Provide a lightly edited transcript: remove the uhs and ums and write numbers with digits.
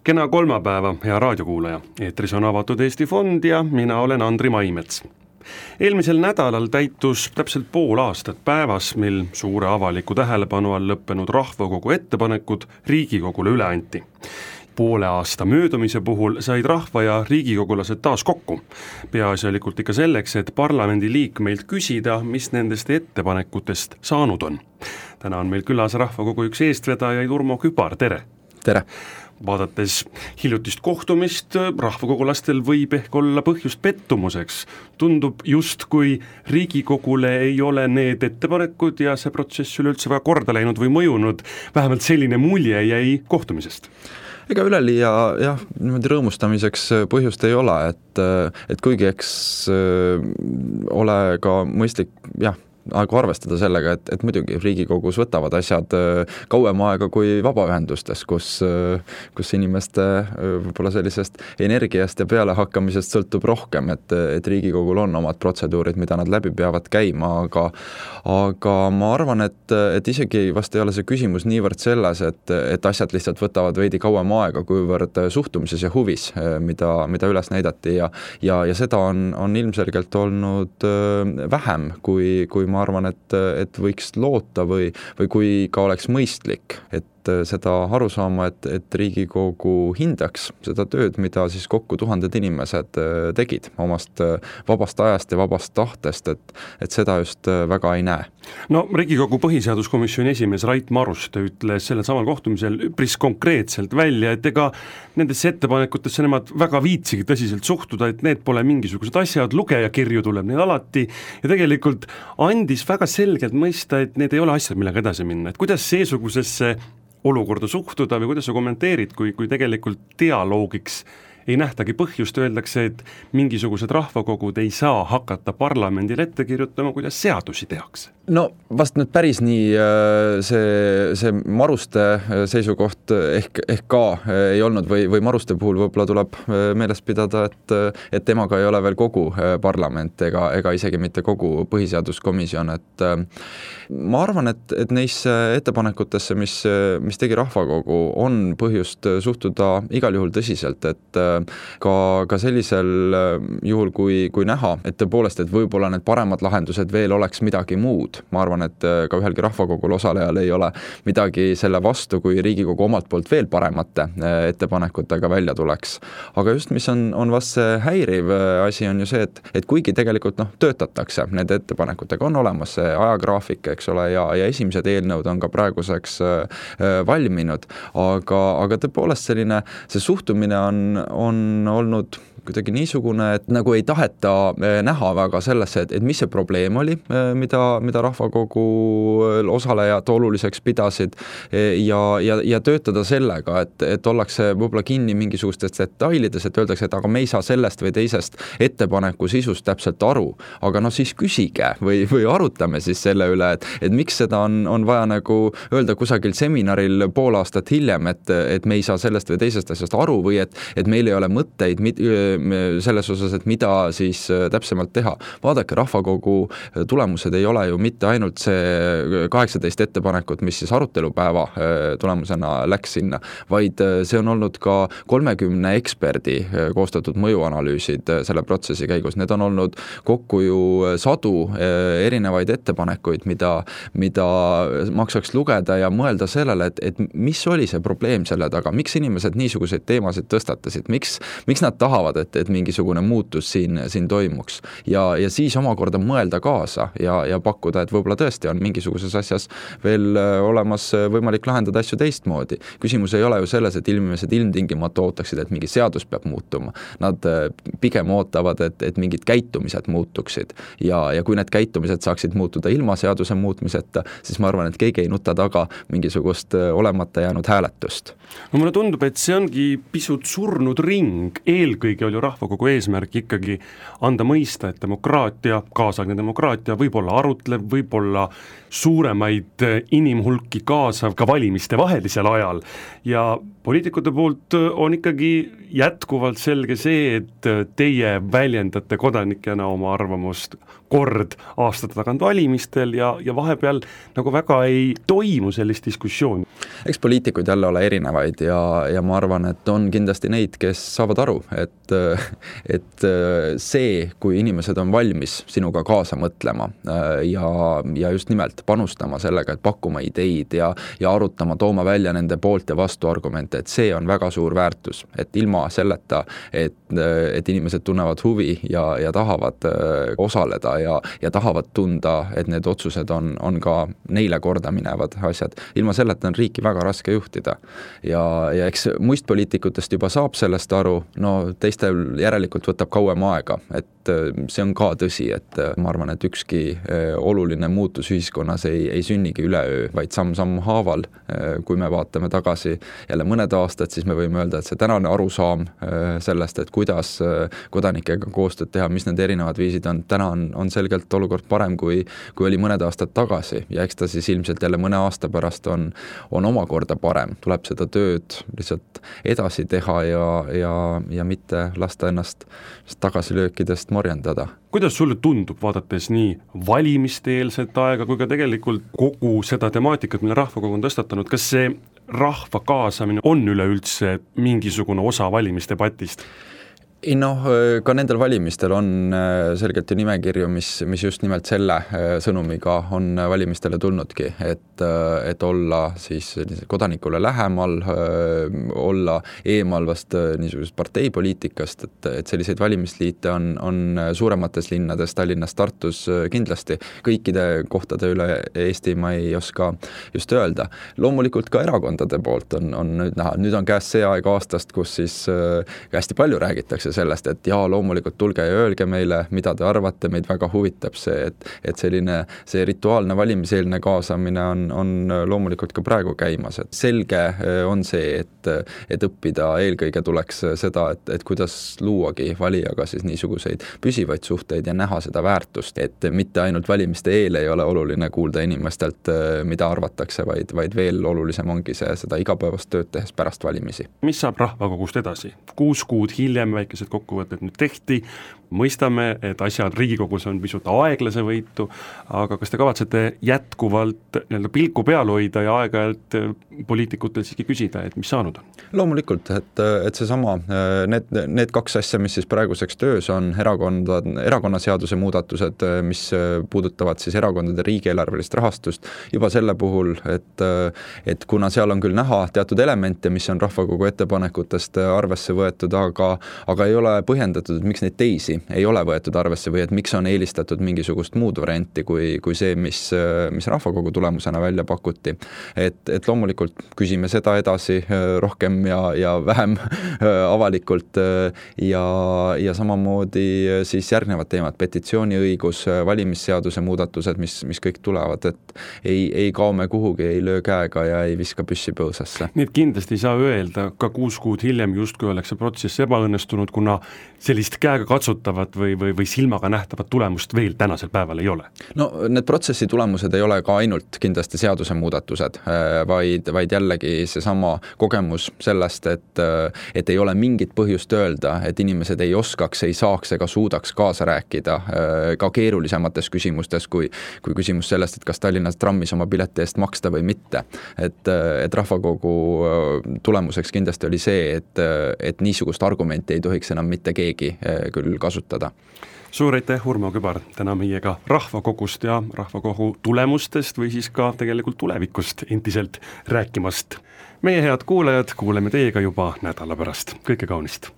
Kena kolmapäeva, hea raadiokuulaja. Eetris on Avatud Eesti Fond ja mina olen Andri Maimets. Eelmisel nädalal täitus täpselt pool aastat päevas, mil suure avaliku tähelepanu all lõppenud rahvakogu ettepanekud Riigikogule üle anti. Poole aasta möödumise puhul said rahva ja riigikogulased taas kokku. Peaasjalikult ikka selleks, et parlamendi liikmeilt küsida, mis nendest ettepanekutest saanud on. Täna on meil külas rahvakogu üks eestvedajaid Urmo Kübar, tere! Tere! Vaadates hiljutist kohtumist, rahvakogulastel võib ehk olla põhjust pettumuseks. Tundub justkui Riigikogule ei ole need ettepanekud ja see protsess üleüldse väga korda läinud või mõjunud. Vähemalt selline mulje jäi kohtumisest. Ega üleliia niimoodi rõõmustamiseks põhjust ei ole, et kuigi eks ole ka mõistlik aegu arvestada sellega, et muidugi Riigikogus võtavad asjad kauem aega kui vabaühendustes, kus inimeste võib-olla sellisest energiast ja pealehakkamisest sõltub rohkem, et Riigikogul on omad protseduurid, mida nad läbi peavad käima, aga ma arvan, et isegi vast ei ole see küsimus niivõrd selles, et asjad lihtsalt võtavad veidi kauem aega, kuivõrd suhtumises ja huvis, mida üles näidati ja seda on ilmselgelt olnud vähem, kui ma arvan, et võiks loota või kui ka oleks mõistlik, et seda aru saama, et Riigikogu hindaks seda tööd, mida siis kokku tuhanded inimesed tegid omast vabast ajast ja vabast tahtest, et seda just väga ei näe. No Riigikogu põhiseaduskomisjoni esimees Rait Maruste ütles sellel samal kohtumisel üpris konkreetselt välja, et ega nendesse ettepanekutesse nemad väga viitsigi tõsiselt suhtuda, et need pole mingisugused asjad, lugejakirju tuleb neil alati ja tegelikult andis väga selgelt mõista, et need ei ole asjad, millega edasi minna, et kuidas seesugusesse olukorda suhtuda või kuidas sa kommenteerid, kui tegelikult dialoogiks ei nähtagi põhjust, öeldakse, et mingisugused rahvakogud ei saa hakata parlamendile ette kirjutama, kuidas seadusi tehakse. No vast nüüd päris nii see Maruste seisukoht ehk ka ei olnud või Maruste puhul võib-olla tuleb meeles pidada, et temaga ei ole veel kogu parlament ega isegi mitte kogu põhiseaduskomisjon, et ma arvan, et neisse ettepanekutesse, mis tegi rahvakogu, on põhjust suhtuda igal juhul tõsiselt, et ka sellisel juhul, kui näha, et tõepoolest, et võib-olla need paremad lahendused veel oleks midagi muud. Ma arvan, et ka ühelgi rahvakogul osalejal ei ole midagi selle vastu, kui Riigikogu omalt poolt veel paremate ettepanekutega välja tuleks. Aga just, mis on vast see häiriv asi, on ju see, et kuigi tegelikult töötatakse nende ettepanekutega, on olemas see ajagraafik, eks ole, ja esimesed eelnõud on ka praeguseks valminud, aga tõepoolest selline, see suhtumine on olnud kuidagi niisugune, et nagu ei taheta näha väga sellesse, et mis see probleem oli, mida rahvakogu osalejad oluliseks pidasid ja töötada sellega, et ollakse võib-olla kinni mingisugustes detailides, et öeldakse, et aga me ei saa sellest või teisest ettepaneku sisust täpselt aru, aga siis küsige või arutame siis selle üle, et miks seda on vaja nagu öelda kusagil seminaril pool aastat hiljem, et me ei saa sellest või teisest asjast aru või et meil ei ole mõtteid selles osas, et mida siis täpsemalt teha. Vaadake, rahvakogu tulemused ei ole ju mitte ainult see 18 ettepanekut, mis siis arutelupäeva tulemusena läks sinna, vaid see on olnud ka 30 eksperdi koostatud mõjuanalüüsid selle protsessi käigus. Need on olnud kokku ju sadu erinevaid ettepanekuid, mida maksaks lugeda ja mõelda sellele, et mis oli see probleem selle taga, miks inimesed niisuguseid teemasid tõstatasid, miks nad tahavad, et mingisugune muutus siin toimuks ja siis omakorda mõelda kaasa ja pakkuda, et võib-olla tõesti on mingisuguses asjas veel olemas võimalik lahendada asju teistmoodi. Küsimus ei ole ju selles, et inimesed ilmtingimata ootaksid, et mingi seadus peab muutuma. Nad pigem ootavad, et mingid käitumised muutuksid ja kui need käitumised saaksid muutuda ilma seaduse muutmiseta, siis ma arvan, et keegi ei nuta taga mingisugust olemata jäänud hääletust. No mulle tundub, et see ongi pisut surnud ring. Eelkõige oli rahvakogu eesmärk ikkagi anda mõista, et demokraatia, kaasaegne demokraatia võib olla arutlev, võib olla suuremaid inimhulki kaasav ka valimiste vahelisel ajal ja poliitikute poolt on ikkagi jätkuvalt selge see, et teie väljendate kodanikena oma arvamust kord aastate tagant valimistel ja vahepeal nagu väga ei toimu sellist diskussiooni. Eks poliitikuid jälle ole erinevaid ja ma arvan, et on kindlasti neid, kes saavad aru, et see, kui inimesed on valmis sinuga kaasa mõtlema ja just nimelt panustama sellega, et pakkuma ideid ja arutama, tooma välja nende poolt ja vastu argumente, et see on väga suur väärtus, et ilma selleta, et inimesed tunnevad huvi ja tahavad osaleda ja tahavad tunda, et need otsused on ka neile korda minevad asjad. Ilma selleta on riiki väga raske juhtida. Ja eks muist poliitikutest juba saab sellest aru, no teistel järelikult võtab kauem aega, et see on ka tõsi, et ma arvan, et ükski oluline muutus ühiskonnas ei sünnigi üleöö, vaid samm haaval. Kui me vaatame tagasi jälle mõned aastad, siis me võime öelda, et see tänane arusaam sellest, et kuidas kodanikega koostööd teha, mis need erinevad viisid on, täna on selgelt olukord parem, kui oli mõned aastad tagasi ja eks ta siis ilmselt jälle mõne aasta pärast on omakorda parem. Tuleb seda tööd lihtsalt edasi teha ja mitte lasta ennast tagasilöökidest morjendada. Kuidas sulle tundub, vaadates nii valimiste-eelset aega kui ka tegelikult kogu seda temaatikat, mille rahvakogu on tõstatanud, kas see rahva kaasamine on üleüldse mingisugune osa valimisdebatist? Ka nendel valimistel on selgelt ju nimekirju, mis just nimelt selle sõnumiga on valimistele tulnudki, et olla siis kodanikule lähemal, olla eemal vast niisugusest parteipoliitikast, et selliseid valimisliite on suuremates linnades, Tallinnas, Tartus kindlasti. Kõikide kohtade üle Eesti ma ei oska just öelda. Loomulikult ka erakondade poolt on nüüd näha. Nüüd on käes see aeg aastast, kus siis hästi palju räägitakse sellest, et loomulikult tulge ja öelge meile, mida te arvate, meid väga huvitab see, et see rituaalne valimiseelne kaasamine on loomulikult ka praegu käimas, et selge on see, et õppida eelkõige tuleks seda, et kuidas luuagi valijaga siis niisuguseid püsivaid suhteid ja näha seda väärtust, et mitte ainult valimiste eel ei ole oluline kuulda inimestelt, mida arvatakse, vaid veel olulisem ongi seda igapäevast tööd tehes pärast valimisi. Mis saab rahvakogust edasi? 6 kuud hiljem väikesed kokkuvõtted nüüd tehti, mõistame, et asjad Riigikogus on pisut aeglase võitu, aga kas te kavatsete jätkuvalt pilku peal hoida ja aeg-ajalt poliitikutel siiski küsida, et mis saanud on? Loomulikult, et seesama, need 2 asja, mis siis praeguseks töös on, erakonnaseaduse muudatused, mis puudutavad siis erakondade riigieelarvelist rahastust, juba selle puhul, et kuna seal on küll näha teatud elemente, mis on rahvakogu ettepanekutest arvesse võetud, aga ei ole põhjendatud, miks neid teisi ei ole võetud arvesse või et miks on eelistatud mingisugust muud varianti kui see, mis rahvakogu tulemusena välja pakuti. Et loomulikult küsime seda edasi rohkem ja vähem avalikult ja samamoodi siis järgnevad teemad, petitsiooniõigus, valimisseaduse muudatused, mis kõik tulevad, et ei kao me kuhugi, ei löö käega ja ei viska püssi põõsasse. Nii et kindlasti ei saa öelda, ka 6 kuud hiljem justkui oleks see protsess ebaõnnestunud, kuna sellist käega katsutavat või silmaga nähtavat tulemust veel tänasel päeval ei ole? No need protsessi tulemused ei ole ka ainult kindlasti seaduse muudatused, vaid jällegi seesama kogemus sellest, et ei ole mingit põhjust öelda, et inimesed ei oskaks, ei saaks ega suudaks kaasa rääkida ka keerulisemates küsimustes kui küsimus sellest, et kas Tallinnas trammis oma pileti eest maksta või mitte. Et rahvakogu tulemuseks kindlasti oli see, et niisugust argumenti ei tohiks enam mitte keegi küll kasutada. Suur aitäh, Urmo Kübar, täna meiega rahvakogust ja rahvakogu tulemustest või siis ka tegelikult tulevikust endiselt rääkimast. Meie head kuulajad, kuuleme teiega juba nädala pärast. Kõike kaunist!